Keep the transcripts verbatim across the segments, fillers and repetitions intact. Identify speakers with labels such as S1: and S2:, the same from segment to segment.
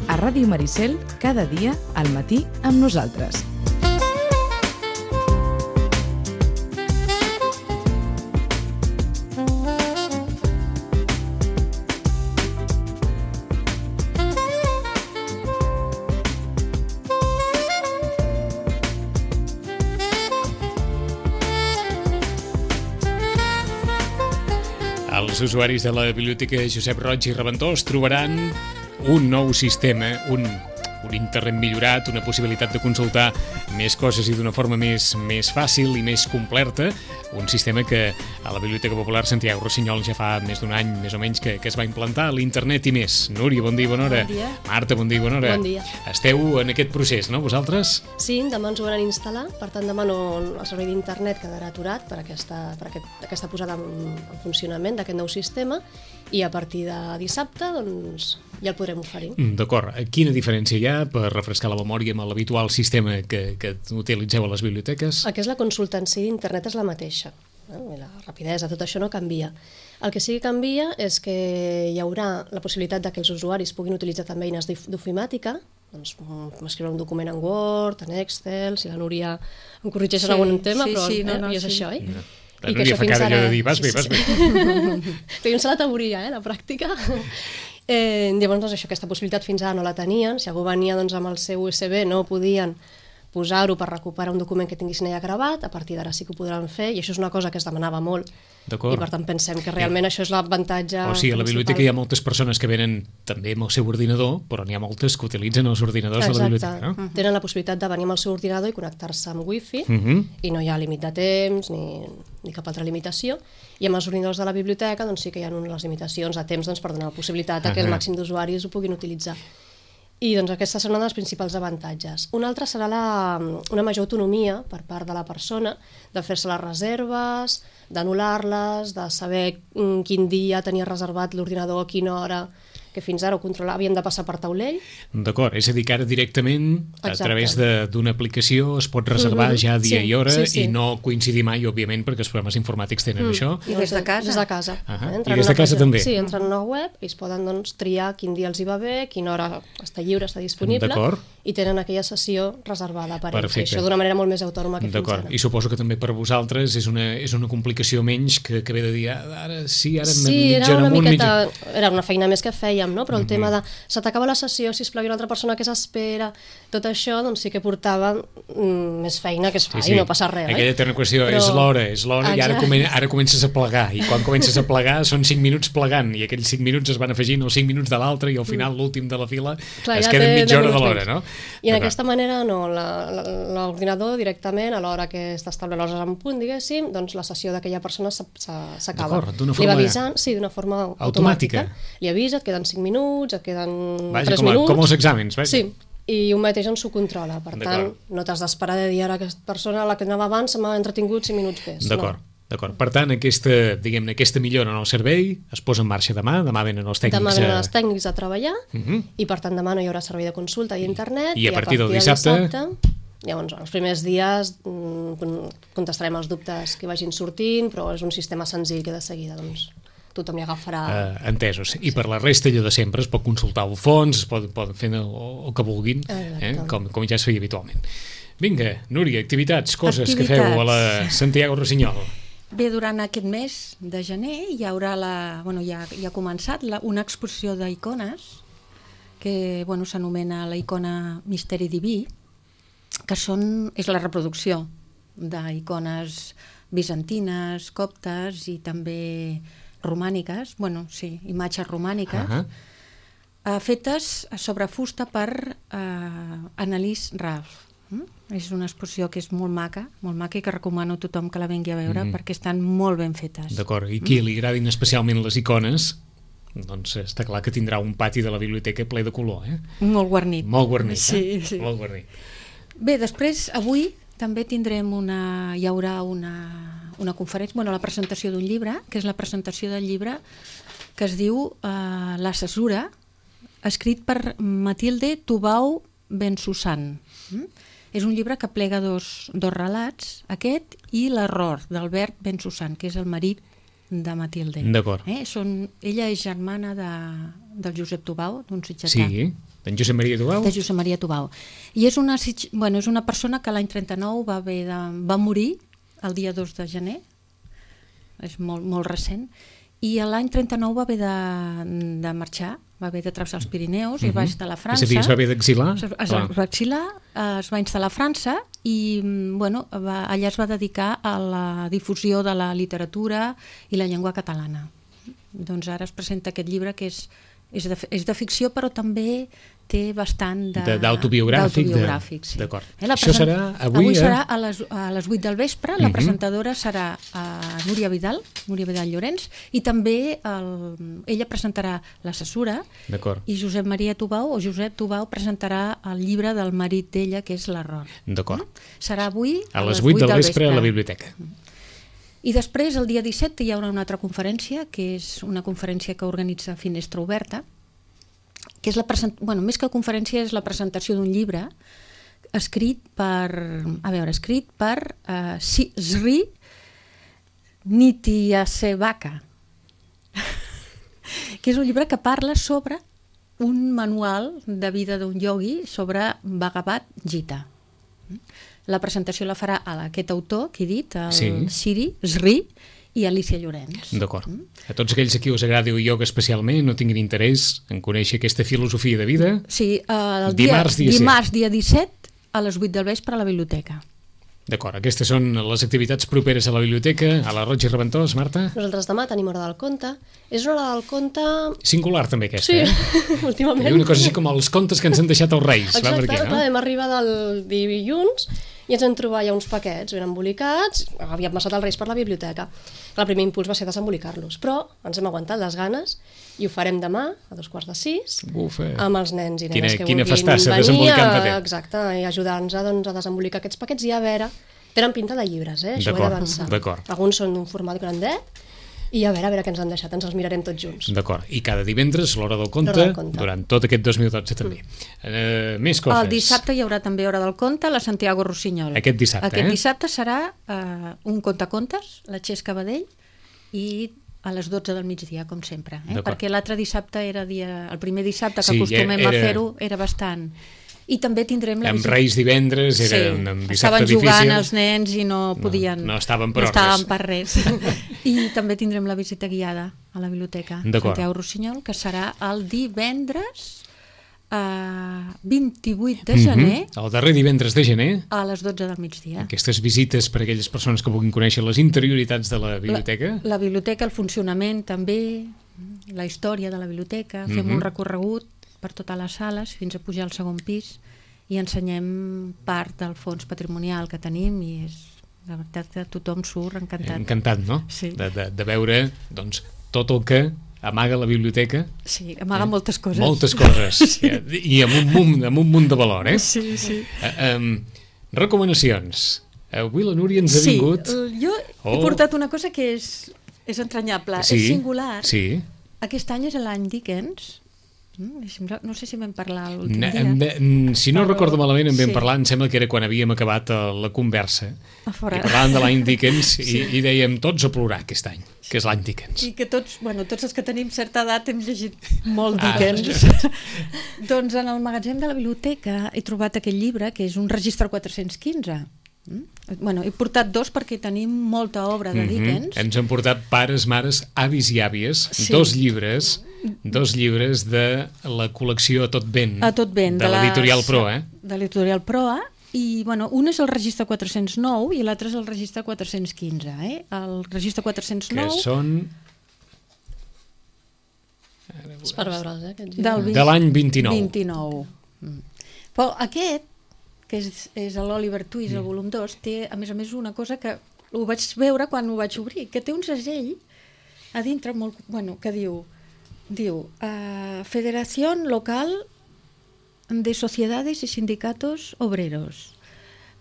S1: A Ràdio Maricel, cada dia, al matí, amb nosaltres.
S2: Els usuaris de la Biblioteca Josep Roig i Reventós trobaran un nou sistema, un, un internet millorat, una possibilitat de consultar més coses i d'una forma més, més fàcil i més completa, un sistema que a la Biblioteca Popular Santiago Rossinyol ja fa més d'un any, més o menys, que, que es va implantar, l'internet i més. Núria, bon dia i bona hora.
S3: Bon dia.
S2: Marta, bon dia i bona hora.
S3: Bon dia.
S2: Esteu en aquest procés, no, vosaltres?
S3: Sí, demà ens ho van instal·lar, per tant demà no, el servei d'internet quedarà aturat per aquesta, per aquest, aquesta posada en, en funcionament d'aquest nou sistema i a partir de dissabte doncs, ja el podrem oferir.
S2: Mm, D'acord. Quina diferència hi ha, per refrescar la memòria, amb l'habitual sistema que, que utilitzeu a les biblioteques?
S3: El que és la consulta en si d'internet és la mateixa. No? La rapidesa, tot això no canvia. El que sí que canvia és que hi haurà la possibilitat que els usuaris puguin utilitzar també eines d'ofimàtica, doncs escriure un document en Word, en Excel, si la Núria em corregeix en algun tema,
S4: sí,
S3: però
S4: sí, no, no,
S3: eh, i és
S4: sí.
S3: això, eh?
S2: No. La
S3: I que
S2: Núria
S3: això
S2: fa
S3: fins
S2: cada
S3: ara...
S2: dia de dir, vas bé, vas bé.
S3: Feim la teoria, eh, la pràctica. Eh, llavors, doncs, això, aquesta possibilitat fins ara no la tenien. Si algú venia doncs, amb el seu U S B no podien posar-ho per recuperar un document que tinguessin allà gravat, a partir d'ara sí que ho podran fer, i això és una cosa que es demanava molt. I per tant pensem que realment això és l'avantatge
S2: O sigui, a la
S3: principal.
S2: biblioteca hi ha moltes persones que venen també amb el seu ordinador, però n'hi ha moltes que utilitzen els ordinadors de la biblioteca, no?
S3: Exacte. Tenen la possibilitat de venir amb el seu ordinador i connectar-se amb wifi,
S2: Uh -huh.
S3: i no hi ha límit de temps ni, ni cap altra limitació, i amb els ordinadors de la biblioteca doncs, sí que hi ha unes limitacions de temps doncs, per donar la possibilitat a que el màxim d'usuaris ho puguin utilitzar. I doncs aquesta serà un dels principals avantatges. Un altre serà la, una major autonomia per part de la persona de fer-se les reserves, d'anul·lar-les, de saber quin dia tenia reservat l'ordinador, a quina hora, que fins ara ho controlava, havien de passar per taulell.
S2: D'acord, és a dir que ara directament a
S3: Exacte.
S2: través d'una aplicació es pot reservar
S3: Mm-hmm.
S2: ja dia
S3: Sí,
S2: i hora
S3: sí, sí.
S2: i no coincidir mai, òbviament, perquè els programes informàtics tenen això.
S4: I des de casa?
S3: Des de casa.
S2: Ahà.
S3: Eh?
S2: I
S3: Entren
S2: des de
S3: en una
S2: casa
S3: pàgina-
S2: també?
S3: Sí, entren en una web i es poden doncs, triar quin dia els hi va bé, quina hora està lliure, està disponible,
S2: D'acord.
S3: i tenen aquella sessió reservada per ells.
S2: Perfecte.
S3: I això d'una manera molt més autònoma que fins
S2: D'acord,
S3: ara.
S2: i suposo que també per vosaltres és una, és una complicació menys que, que ve de dir, ah, ara sí, ara
S3: Sí, era
S2: mitja hora
S3: una
S2: amunt,
S3: miqueta...
S2: mitja...
S3: Era una feina més que fèiem, no? Però el
S2: Mhm.
S3: tema de se t'acaba la sessió, sisplau, hi ha una altra persona que s'espera, tot això doncs sí que portava mm, més feina que es fa i no passa res.
S2: Aquella
S3: oi?
S2: eterna qüestió,
S3: Però-
S2: és l'hora, és l'hora, i ara,
S3: Exacte.
S2: comen ara comences a plegar, i quan comences a plegar són cinc minuts plegant, i aquells cinc minuts es van afegint els cinc minuts de l'altre, i al final l'últim de la fila
S3: Clar,
S2: es
S3: ja
S2: queda
S3: té
S2: mitja
S3: deu
S2: hora de
S3: minuts
S2: l'hora,
S3: menys.
S2: no?
S3: I en
S2: D'acord.
S3: aquesta manera no, la- la- l'ordinador directament a l'hora que està establert l'hores en punt, diguéssim, doncs la sessió d'aquella persona s'ha- s'ha- s'acaba.
S2: D'acord, d'una
S3: Li
S2: forma-
S3: va avisant, sí, d'una forma
S2: Automàtica.
S3: automàtica. Li avisa, et queden cinc minuts, et queden
S2: Vaja,
S3: tres
S2: com, a,
S3: minuts.
S2: com els exàmens, vaja.
S3: Sí, i un mateix ens ho controla. Per tant,
S2: D'acord.
S3: no t'has d'esperar de dir ara aquesta persona, la que anava abans, se m'ha entretingut cinc minuts més.
S2: D'acord.
S3: No.
S2: D'acord. Per tant, aquesta, diguem-ne, aquesta millora en el servei es posa en marxa demà, demà venen els tècnics.
S3: Demà venen
S2: a-
S3: els tècnics a treballar,
S2: Uh -huh.
S3: i per tant demà no hi haurà servei de consulta i internet.
S2: I a partir del dissabte?
S3: Llavors, els primers dies mm, contestarem els dubtes que vagin sortint, però és un sistema senzill que de seguida doncs, tothom hi agafarà.
S2: Uh, entesos. I per la resta allò de sempre es pot consultar el fons, es pot, pot fer el, el que vulguin, eh?
S3: Exacte.
S2: com, com ja es feia habitualment. Vinga, Núria, activitats, coses
S4: Activitats.
S2: que feu a la Santiago Rossinyol.
S4: Bé, durant aquest mes de gener hi haurà la, bueno, ja, ja ha començat la, una exposició d'icones que bueno, s'anomena la icona Misteri Diví, que són, és la reproducció d'icones bizantines, coptes i també romàniques, bueno, sí, imatges romàniques,
S2: Uh -huh.
S4: eh, fetes sobre fusta per eh, Annalise Ralph. Mm? És una exposició que és molt maca, molt maca i que recomano a tothom que la vengui a veure,
S2: Mhm.
S4: perquè estan molt ben fetes.
S2: D'acord, i qui li agradin especialment les icones, doncs està clar que tindrà un pati de la biblioteca ple de color, eh?
S4: Molt guarnit.
S2: Molt guarnit,
S4: Sí,
S2: eh?
S4: sí.
S2: Molt guarnit.
S4: Bé, després, avui també tindrem una... hi haurà una, una conferència, bueno, la presentació d'un llibre, que és la presentació del llibre que es diu uh, La cesura, escrit per Matilde Tubau Bensussan. Mm? És un llibre que plega dos, dos relats, aquest i l'error d'Albert Bensussan, que és el marit de Matilde.
S2: D'acord.
S4: Eh? Són, ella és germana de, del Josep Tubau, d'un sitgetà.
S2: Sí, d'en Josep Maria Tubau.
S4: De Josep Maria Tubau. I és una, bueno, és una persona que l'any trenta-nou va, haver de, va morir el dia dos de gener, és molt, molt recent, i l'any trenta-nou va haver de, de marxar, va haver de travessar els Pirineus uh-huh. i va instal·lar a França.
S2: És a dir, es va haver d'exilar?
S4: Es, es, es va exilar, es va instal·lar a França i bueno, va, allà es va dedicar a la difusió de la literatura i la llengua catalana. Doncs ara es presenta aquest llibre que és, és, de, és de ficció però també té bastant
S2: d'autobiogràfic.
S4: D'autobiogràfic, sí.
S2: D'acord.
S4: Eh,
S2: Això serà avui,
S4: avui
S2: eh?
S4: serà a les, a les vuit del vespre. La uh-huh. presentadora serà a Núria Vidal, Núria Vidal Llorenç, i també el, ella presentarà La cesura i Josep Maria Tubau o Josep Tubau presentarà el llibre del marit d'ella, que és l'error.
S2: D'acord.
S4: Serà avui
S2: a, a les vuit del vespre, vespre a la biblioteca.
S4: I després, el dia disset, hi haurà una altra conferència, que és una conferència que organitza Finestra Oberta, que és la present... bueno, més que conferència és la presentació d'un llibre escrit per, a veure, escrit per uh, Sri Nityananda, que és un llibre que parla sobre un manual de vida d'un iogui sobre Bhagavad Gita. La presentació la farà aquest autor que he dit, el sí. Siri, Sri, i Alicia Llorenç.
S2: D'acord. Mm? A tots aquells a qui us agradi el ioga especialment, no tinguin interès en conèixer aquesta filosofia de vida,
S4: sí, uh, el
S2: dimarts,
S4: dia,
S2: dia,
S4: dimarts dia disset a les vuit del vespre a la biblioteca.
S2: D'acord, aquestes són les activitats properes a la biblioteca. A la Roig i Reventós, Marta?
S3: Nosaltres demà tenim hora del conte. És una hora del conte...
S2: Singular també aquesta,
S3: sí,
S2: eh?
S3: últimament.
S2: Hi ha una cosa així com els contes que ens han deixat els Reis.
S3: Exacte,
S2: va per aquí, no?
S3: Hem arribat el dilluns i ens hem trobat ja uns paquets ben embolicats, havíem passat els Reis per la biblioteca. El primer impuls va ser desembolicar-los, però ens hem aguantat les ganes i ho farem demà a dos quarts de sis
S2: Ufa.
S3: Amb els nens i nenes
S2: quina,
S3: que
S2: quina
S3: vulguin
S2: festassa,
S3: venir
S2: a,
S3: exacte, i ajudar-nos a, doncs, a desembolicar aquests paquets i a veure, tenen pinta de llibres, eh? Això ho he d'avançar. Alguns són d'un format grandet i a veure, a veure què ens han deixat, ens els mirarem tots junts.
S2: D'acord, i cada divendres l'hora del conte,
S3: del conte.
S2: Durant tot aquest dos mil dotze també. Mm. Uh, més coses.
S4: El dissabte hi haurà també hora del conte a la Santiago Rossinyol.
S2: Aquest dissabte,
S4: Aquest
S2: eh?
S4: dissabte serà uh, un contacontes, la Xesca Badell, i a les dotze del migdia, com sempre. Eh? Perquè l'altre dissabte era dia... El primer dissabte que sí, acostumem era... a fer-ho era bastant... I també tindrem la
S2: amb
S4: visita...
S2: Reis divendres, era sí, un dissabte
S4: estaven
S2: difícil.
S4: Estaven jugant els nens i no podien...
S2: No, no estaven per
S4: no estaven per res. I també tindrem la visita guiada a la biblioteca Santiago Rossinyol, que serà el divendres uh, vint-i-vuit de gener.
S2: Mm-hmm. El darrer divendres de gener.
S4: A les dotze del migdia.
S2: Aquestes visites per a aquelles persones que vulguin conèixer les interioritats de la biblioteca.
S4: La, la biblioteca, el funcionament també, la història de la biblioteca, fem mm-hmm. un recorregut per totes les sales fins a pujar al segon pis i ensenyem part del fons patrimonial que tenim i és la veritat que tothom surt encantat.
S2: Encantat, no?
S4: Sí.
S2: De, de, de veure doncs, tot el que amaga la biblioteca.
S4: Sí, amaga eh? moltes coses.
S2: Moltes coses. Sí. I amb un, munt, amb un munt de valor, eh?
S4: Sí, sí.
S2: Uh, um, recomanacions. Avui la Núria ens ha
S4: sí,
S2: vingut...
S4: Sí, jo oh. he portat una cosa que és, és entranyable,
S2: sí,
S4: és singular.
S2: Sí.
S4: Aquest any és l'any Dickens. No sé si vam parlar l'últim
S2: dia.
S4: dia.
S2: Si no però... recordo malament en vam sí. parlar, em sembla que era quan havíem acabat la conversa. I parlàvem de l'any Dickens sí. i, i dèiem tots a plorar aquest any, que és l'any Dickens.
S4: I que tots, bueno, tots els que tenim certa edat hem llegit molt Dickens. Ah. Doncs en el magatzem de la biblioteca he trobat aquest llibre, que és un registre quatre-cents quinze. Mm? Bueno, he portat dos perquè tenim molta obra de Dickens.
S2: Mm-hmm. Ens han portat pares, mares, avis i àvies, sí. dos llibres, dos llibres de la col·lecció A Tot Vent,
S4: A Tot Vent
S2: de, de l'editorial Proa. Eh?
S4: De l'editorial Proa, i bueno, un és el registre quatre-cents nou i l'altre és el registre quatre-cents quinze. Eh? El registre quatre-cents nou...
S2: Que són...
S3: És per veure'ls, eh?
S2: Del vint... De l'any vint-i-nou.
S4: vint-i-nou. Mm. Però aquest, que és, és l'Oliver Twist, el volum dos, té, a més a més, una cosa que ho vaig veure quan ho vaig obrir, que té un segell a dintre molt, bueno, que diu, diu uh, Federación Local de Sociedades y Sindicatos Obreros.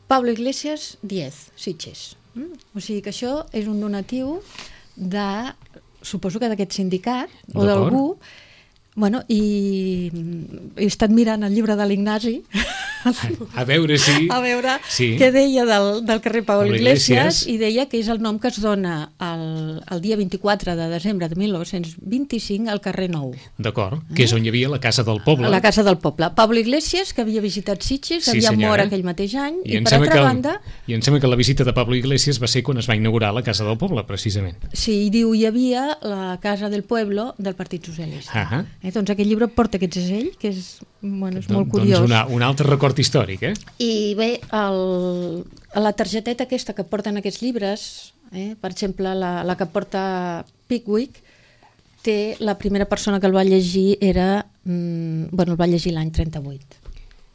S4: Pablo Iglesias, diez, Sitges. Mm? O sigui que això és un donatiu de suposo que d'aquest sindicat o d'algú. Bueno, i he estat mirant el llibre de l'Ignasi
S2: a veure si...
S4: a veure
S2: sí.
S4: què deia del, del carrer Pablo Iglesias,
S2: Iglesias,
S4: i deia que és el nom que es dona el, el dia vint-i-quatre de desembre de mil nou-cents vint-i-cinc al carrer Nou.
S2: D'acord, que és on hi havia la Casa del Poble.
S4: La Casa del Poble. Pablo Iglesias, que havia visitat Sitges,
S2: sí,
S4: havia
S2: senyora.
S4: mort aquell mateix any, i,
S2: I
S4: per altra
S2: el,
S4: banda...
S2: I em sembla que la visita de Pablo Iglesias va ser quan es va inaugurar la Casa del Poble, precisament.
S4: Sí, i diu, hi havia la Casa del Pueblo del Partit Socialista.
S2: Uh -huh.
S4: eh, doncs aquest llibre porta aquest segell, que és, bueno, és
S2: Don,
S4: molt curiós.
S2: Doncs una, un altre record històric, eh?
S4: I bé, el, la targeteta aquesta que porten aquests llibres, eh, per exemple, la, la que porta Pickwick, té, la primera persona que el va llegir era, mm, bueno, el va llegir l'any trenta-vuit.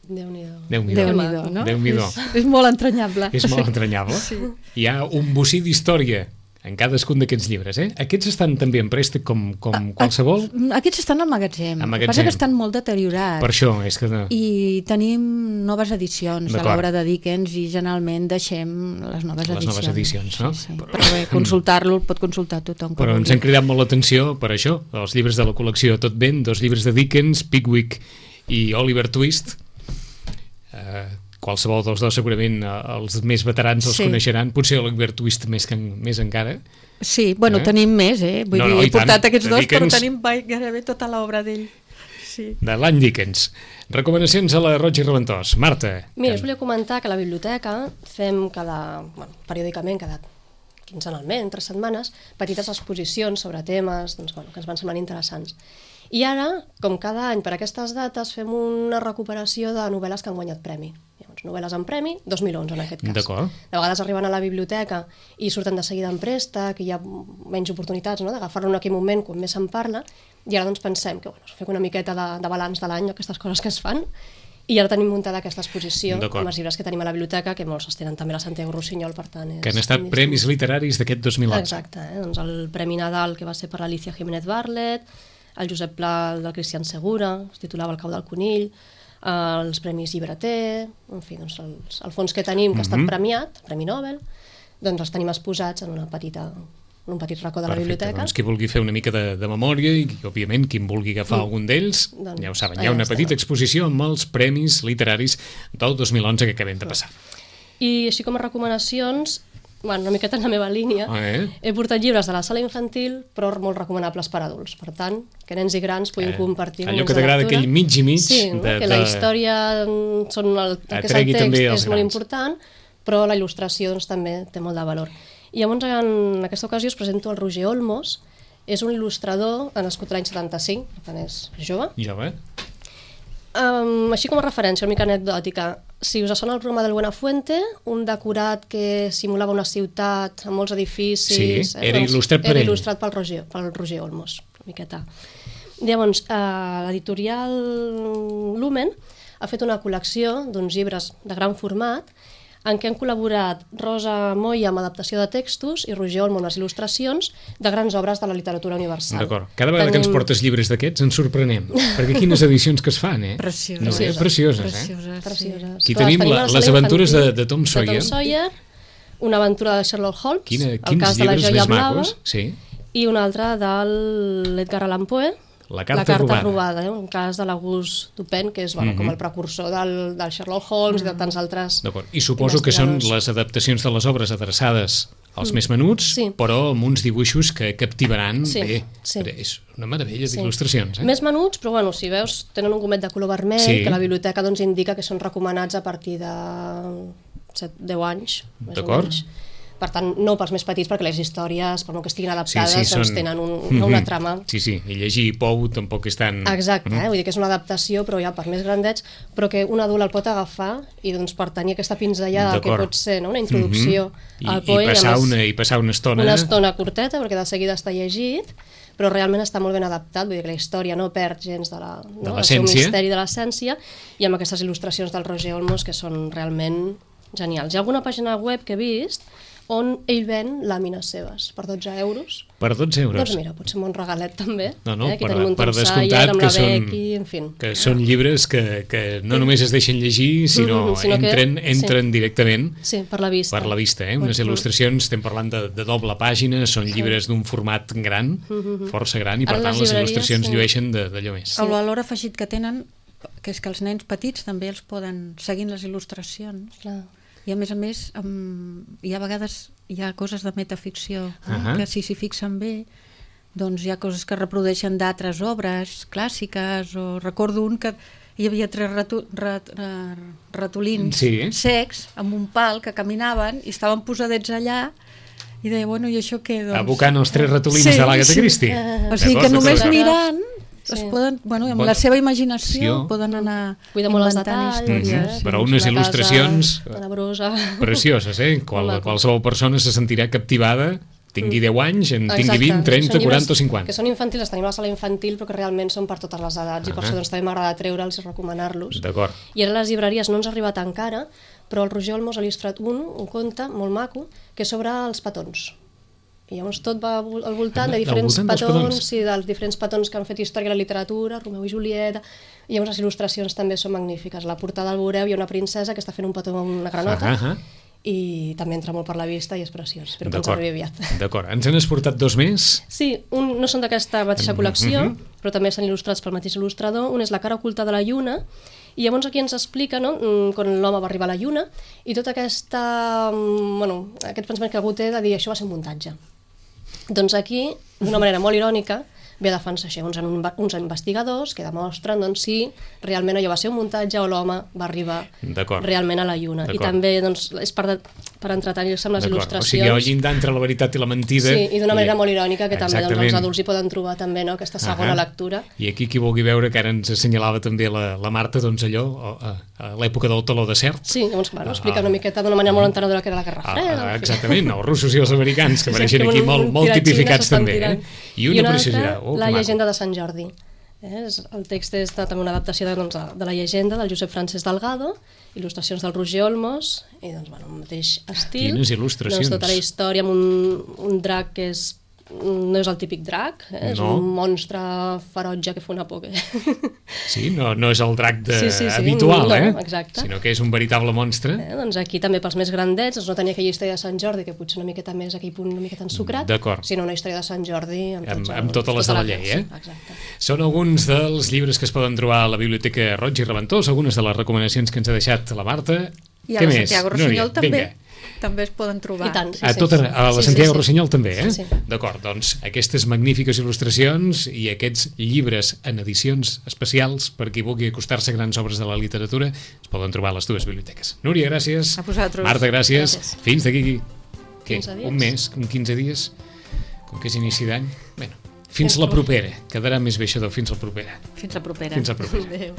S3: Déu-n'hi-do.
S2: Déu-n'hi-do,
S4: Déu-n'hi-do, no?
S2: Déu-n'hi-do.
S4: És, és molt entranyable.
S2: És molt entranyable. Sí. Hi ha un bocí d'història en cadascun d'aquests llibres, eh? Aquests estan també en préstec com, com qualsevol?
S4: Aquests estan al magatzem.
S2: Al magatzem.
S4: El que passa que estan molt deteriorats.
S2: Per això, és que... No.
S4: I tenim noves edicions de l'obra de Dickens i generalment deixem les noves
S2: les
S4: edicions.
S2: Les noves edicions, no?
S4: Sí, sí. Però bé, consultar-lo el pot consultar tothom.
S2: Però ens han cridat molt l'atenció per això, els llibres de la col·lecció Tot Ben, dos llibres de Dickens, Pickwick i Oliver Twist. Eh... Qualsevol dels dos segurament els més veterans els sí. coneixeran, potser Oliver Twist més, que, més encara.
S4: Sí, bueno, eh? tenim més, eh? Vull no, dir, no, he portat tant, aquests dos, Dickens, però tenim gairebé tota l'obra d'ell. Sí.
S2: De l'any Dickens. Recomanacions a la Roig i Reventós. Marta.
S3: Mira, us volia comentar que a la biblioteca fem cada, bueno, periòdicament, cada quinzenalment, tres setmanes, petites exposicions sobre temes doncs, bueno, que ens van semblant interessants. I ara, com cada any per aquestes dates, fem una recuperació de novel·les que han guanyat premi. Llavors, novel·les en premi, dos mil onze en aquest cas.
S2: D'acord.
S3: De vegades arriben a la biblioteca i surten de seguida en préstec, i hi ha menys oportunitats, no?, d'agafar-lo en aquell moment quan més se'n parla, i ara doncs pensem que bueno, fem una miqueta de, de balanç de l'any, aquestes coses que es fan, i ara tenim muntada aquesta exposició amb els llibres que tenim a la biblioteca, que molts es tenen també a la Santiago Rossinyol, per tant... És,
S2: que han estat premis literaris d'aquest dos mil onze.
S3: Exacte, eh? Doncs el Premi Nadal, que va ser per l'Alicia Jiménez Barlet, el Josep Pla del Cristian Segura, es titulava El cau del conill, eh, els Premis Llibreter, en fi, doncs els, el fons que tenim, que ha estat premiat, el Premi Nobel, doncs els tenim exposats en una petita... un petit racó de la
S2: Perfecte,
S3: biblioteca.
S2: Doncs qui vulgui fer una mica de, de memòria i, òbviament, qui en vulgui agafar mm. algun d'ells, doncs, ja ho saben, hi ha una petita exposició amb els premis literaris del dos mil onze que acabem de passar.
S3: I així com a recomanacions, bueno, una miqueta en la meva línia,
S2: ah, eh?
S3: he portat llibres de la sala infantil, però molt recomanables per adults. Per tant, que nens i grans puguin eh, compartir
S2: allò que t'agrada, aquell mig i mig.
S3: Sí, no?
S2: de,
S3: que la història, són el, el que és el text, és molt important, però la il·lustració doncs, també té molt de valor. I llavors, en aquesta ocasió, us presento el Roger Olmos. És un il·lustrador nascut l'any setanta-cinc, per tant és jove.
S2: Jove.
S3: Um, així com a referència, una mica anecdòtica, si us sona el programa del Buenafuente, un decorat que simulava una ciutat amb molts edificis...
S2: Sí, eh, era doncs, il·lustrat per
S3: era
S2: ell.
S3: il·lustrat pel Roger, pel Roger Olmos, una miqueta. Llavors, uh, l'editorial Lumen ha fet una col·lecció d'uns llibres de gran format en què han col·laborat Rosa Moya amb adaptació de textos i Roger Olmo amb les il·lustracions de grans obres de la literatura universal.
S2: D'acord. Cada vegada Tenim... que ens portes llibres d'aquests ens sorprenem, perquè quines edicions que es fan, eh?
S4: Precioses.
S2: No, eh? Precioses, eh?
S4: Precioses,
S3: Precioses.
S2: Aquí Clar, tenim la, les aventures de, de Tom Sawyer.
S3: De Tom Sawyer, una aventura de Sherlock Holmes,
S2: Quina,
S3: el cas de la joia blava,
S2: sí.
S3: i una altra de l'Edgar Allan Poe,
S2: La carta,
S3: la carta
S2: robada,
S3: robada eh? Un cas de l'August Dupin, que és bueno, mm -hmm. com el precursor del, del Sherlock Holmes mm -hmm. i de tants altres.
S2: I suposo que són les adaptacions de les obres adreçades als mm. més menuts, sí. però amb uns dibuixos que captivaran
S3: sí,
S2: bé.
S3: Sí.
S2: És una meravella
S3: sí.
S2: d'il·lustracions. Eh?
S3: Més menuts, però bueno, si veus, tenen un gomet de color vermell, sí. que la biblioteca doncs, indica que són recomanats a partir de set deu anys.
S2: D'acord.
S3: Per tant, no pels més petits, perquè les històries, per no que estiguin adaptades,
S2: sí, sí,
S3: doncs
S2: són...
S3: tenen un,
S2: mm-hmm.
S3: una trama.
S2: Sí, sí, i llegir Pou tampoc és tan...
S3: Exacte, eh? Vull dir que és una adaptació, però ja per més grandets, però que un adult el pot agafar i doncs per tenir aquesta pinzellada que pot ser no? una introducció
S2: mm-hmm.
S3: al Poe.
S2: I, i, passar una, I passar una estona...
S3: Una estona curteta, perquè de seguida està llegit, però realment està molt ben adaptat, vull dir que la història no perd gens de la, no? el seu misteri de l'essència, i amb aquestes il·lustracions del Roger Olmos que són realment genials. Hi ha alguna pàgina web que he vist on ell ven làmines seves per dotze euros.
S2: Per dotze euros?
S3: Doncs mira, pot ser un regalet també.
S2: No, no,
S3: eh? Aquí
S2: per,
S3: tenim un
S2: per
S3: Tom Sawyer
S2: descomptat
S3: amb
S2: que
S3: la
S2: són,
S3: Becky, en fi.
S2: que són llibres que, que no només es deixen llegir, sinó,
S3: Mm-hmm, sinó que-
S2: entren, entren
S3: sí.
S2: directament
S3: Sí, per la vista.
S2: per la vista. Eh? Unes
S3: Mm-hmm.
S2: il·lustracions, estem parlant de, de doble pàgina, són llibres d'un format gran, força gran, i per
S3: Ara
S2: tant
S3: les
S2: les
S3: llibreries,
S2: il·lustracions
S3: sí.
S2: llueixen de- d'allò més.
S4: El valor afegit que tenen, que és que els nens petits també els poden seguir les il·lustracions.
S3: Clar.
S4: I a més a més, um, hi ha vegades hi ha coses de metaficció
S2: Ahà.
S4: que si s'hi fixen bé, doncs hi ha coses que reprodueixen d'altres obres clàssiques, o recordo un que hi havia tres ratu, rat, rat, ratolins
S2: Sí.
S4: secs amb un pal que caminaven i estaven posadets allà i deia, bueno, i això què? Doncs...
S2: Abocant els tres ratolins
S4: Sí,
S2: de l'Agatha
S4: sí.
S2: Christie.
S4: O sigui que
S2: D'acord,
S4: només
S2: d'acord.
S4: mirant
S3: Sí.
S4: es poden, bueno, amb
S2: Bueno,
S4: la seva imaginació
S2: sí.
S4: poden anar
S3: Cuida molt els
S4: inventant
S3: detalls.
S4: històries.
S2: Mhm. Però unes
S3: Una
S2: il·lustracions
S3: casa tenebrosa.
S2: precioses, eh? Qual,
S3: Molt maco.
S2: qualsevol persona se sentirà captivada, tingui deu anys, en tingui
S3: Exacte.
S2: vint, trenta,
S3: Són llibres
S2: quaranta o cinquanta.
S3: Que són infantils, els tenim a la sala infantil, però que realment són per totes les edats, i per
S2: Ah.
S3: això doncs, també m'agrada treure'ls i recomanar-los.
S2: D'acord.
S3: I ara a les llibreries no ens ha arribat encara, però el Roger Olmos ha il·lustrat un, un conte molt maco, que és sobre els petons. I llavors tot va al voltant
S2: Ah,
S3: de diferents
S2: al voltant dels
S3: petons,
S2: petons.
S3: sí, dels diferents petons que han fet història a la literatura, Romeu i Julieta, i llavors les il·lustracions també són magnífiques. A la portada al veureu hi ha una princesa que està fent un petó amb una granota,
S2: Ah, ah, ah.
S3: i també entra molt per la vista i és preciós. Espero que ens
S2: D'acord.
S3: arribi aviat.
S2: D'acord. Ens n'has portat dos més?
S3: Sí, un, no són d'aquesta mateixa col·lecció,
S2: Mhm.
S3: però també estan il·lustrats pel mateix il·lustrador. Un és La cara oculta de la lluna, i llavors aquí ens explica, no?, mm, quan l'home va arribar a la lluna, i tot aquesta, mm, bueno, aquest pensament que algú té de dir això va ser un muntatge. Doncs aquí, d'una manera molt irònica, ve a defensar això, uns, uns investigadors que demostren doncs, si realment allò va ser un muntatge o l'home va arribar
S2: D'acord.
S3: realment a la lluna. I
S2: D'acord.
S3: també doncs, és per, de, per entretenir-se amb les
S2: D'acord.
S3: il·lustracions.
S2: O sigui, hi ha llindar entre la veritat i la mentida.
S3: Sí, i d'una manera molt irònica, que també doncs,
S2: Exactament.
S3: els adults hi poden trobar també, no?, aquesta segona
S2: Ahà.
S3: lectura.
S2: I aquí qui vulgui veure, que ara ens assenyalava també la, la Marta, doncs allò, a, a l'època del taló de cert.
S3: Sí, llavors, bueno, explica
S2: Ah.
S3: una miqueta d'una manera molt entenedora que era la Guerra
S2: Ah,
S3: Freda.
S2: ah,
S3: en fi.
S2: exactament, els russos i els americans, que
S3: Sí,
S2: apareixen
S3: és que
S2: aquí
S3: un-
S2: molt,
S3: un
S2: molt
S3: tiratxines
S2: tipificats
S3: estan
S2: també. Eh?
S3: tirant.
S2: I una,
S3: I una
S2: preciositat.
S3: altra,
S2: Oh,
S3: La
S2: que maco.
S3: llegenda de Sant Jordi. Eh? És- El text és de, també una adaptació de, doncs, de, de la llegenda del Josep Francesc Delgado, il·lustracions del Roger Olmos, i doncs, bueno, el mateix estil.
S2: Quines il·lustracions.
S3: Doncs, tota la història amb un, un drac que és no és el típic drac, eh? és
S2: No.
S3: un monstre ferotge que fa una por. Que...
S2: Sí, no, no és el drac de,
S3: Sí, sí, sí,
S2: habitual,
S3: no,
S2: eh?
S3: exacte.
S2: Sinó que és un veritable monstre.
S3: Eh, doncs aquí també pels més grandets, doncs no tenia aquella història de Sant Jordi, que potser una miqueta més aquell punt una miqueta ensucrat,
S2: D'acord.
S3: sinó una història de Sant Jordi amb,
S2: Amb,
S3: tots
S2: amb
S3: els-
S2: totes les de
S3: tota
S2: la llei, eh?
S3: Sí, exacte.
S2: Són alguns dels llibres que es poden trobar a la Biblioteca Roig i Reventós, algunes de les recomanacions que ens ha deixat la Marta.
S4: I a
S2: Què
S4: la
S2: més?
S4: Santiago
S2: Núria,
S4: Rossinyol també,
S2: vinga.
S4: també es poden trobar.
S3: I tant, sí,
S2: A,
S3: sí.
S2: tota, a la
S3: Sí, sí,
S2: Santiago
S3: sí.
S2: Rossinyol també, eh?
S3: Sí, sí.
S2: D'acord, doncs aquestes magnífiques il·lustracions i aquests llibres en edicions especials per qui vulgui acostar-se a grans obres de la literatura es poden trobar a les dues biblioteques. Núria, gràcies.
S4: A vosaltres.
S2: Marta, gràcies.
S3: Gràcies.
S2: Fins d'aquí què?
S3: quinze dies.
S2: Un mes, un quinze dies, com que és inici d'any. Bueno, fins la propera. Quedarà més bé això del fins la propera.
S4: Fins la propera.
S2: Fins la propera.
S3: Adéu.